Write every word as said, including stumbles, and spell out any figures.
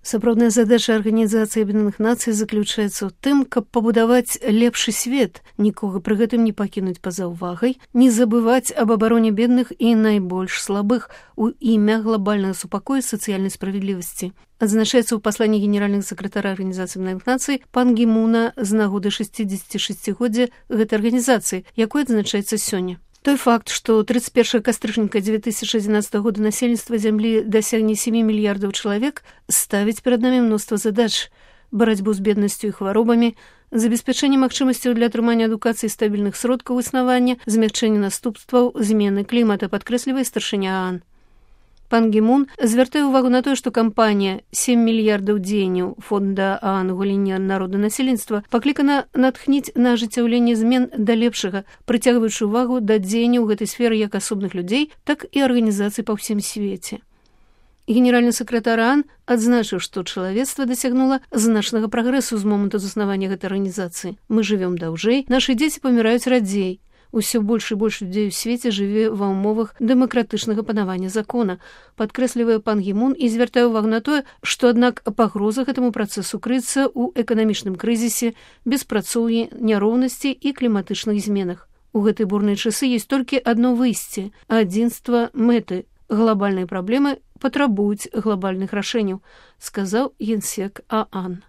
Сапраўдная задача Арганізацыі Аб'яднаных Нацый заключаецца ў тым, каб пабудаваць лепшы свет, нікога пры гэтым не пакінуць па-за ўвагай, не забываць аб абароне бедных і найбольш слабых у імя глобальнага супакою і сацыяльнай справядлівасці. Адзначаецца ў пасланні генеральнага сакратара Арганізацыі Аб'яднаных Нацый пан Гі Муна з нагоды шэсцідзесяцігоддзя гэтай арганізацыі, якой адзначаецца сёння. Той факт, што тридцать первого кастрычніка две тысячи одиннадцатого года насельніцтва зямлі дасягне сем мільярдаў чалавек, ставіць перад намі мноства задач: барацьбу з беднасцю і хваробамі, забеспячэнне магчымасцяў для атрымання адукацыі стабільных сродкаў існавання, змягчэнне наступстваў змены клімата, падкрэслівае старшыня ААН. Пан Гі Мун звяртае ўвагу на тое, што кампанія сем мільярдаў дзеянняў фонда ААН у галіне народанасельніцтва паклікана натхніць на ажыццяўленне змен да лепшага, прыцягваючы ўвагу да дзеянняў гэтай сферы як асобных людзей, так і арганізацый па ўсім свеце. Генеральны сакратар ААН адзначыў, што чалавецтва дасягнула значнага прагрэсу з моманту заснавання гэтай арганізацыі. Мы жывём даўжэй, нашы дзеці паміраюць радзей. Усё больш і больш людзей у свеце жыве ва ўмовах дэмакратычнага панавання закона, падкрэслівае пан Гі Мун і звяртае ўвагу на тое, што аднак пагроза гэтаму працэсу крыецца ў эканамічным крызісе, беспрацоўі, няроўнасці і кліматычных зменах. У гэтай бурнай часы ёсць толькі адно выйсце – адзінства мэты. Глобальныя праблемы патрабуюць глобальных рашэнняў, сказаў генсек ААН.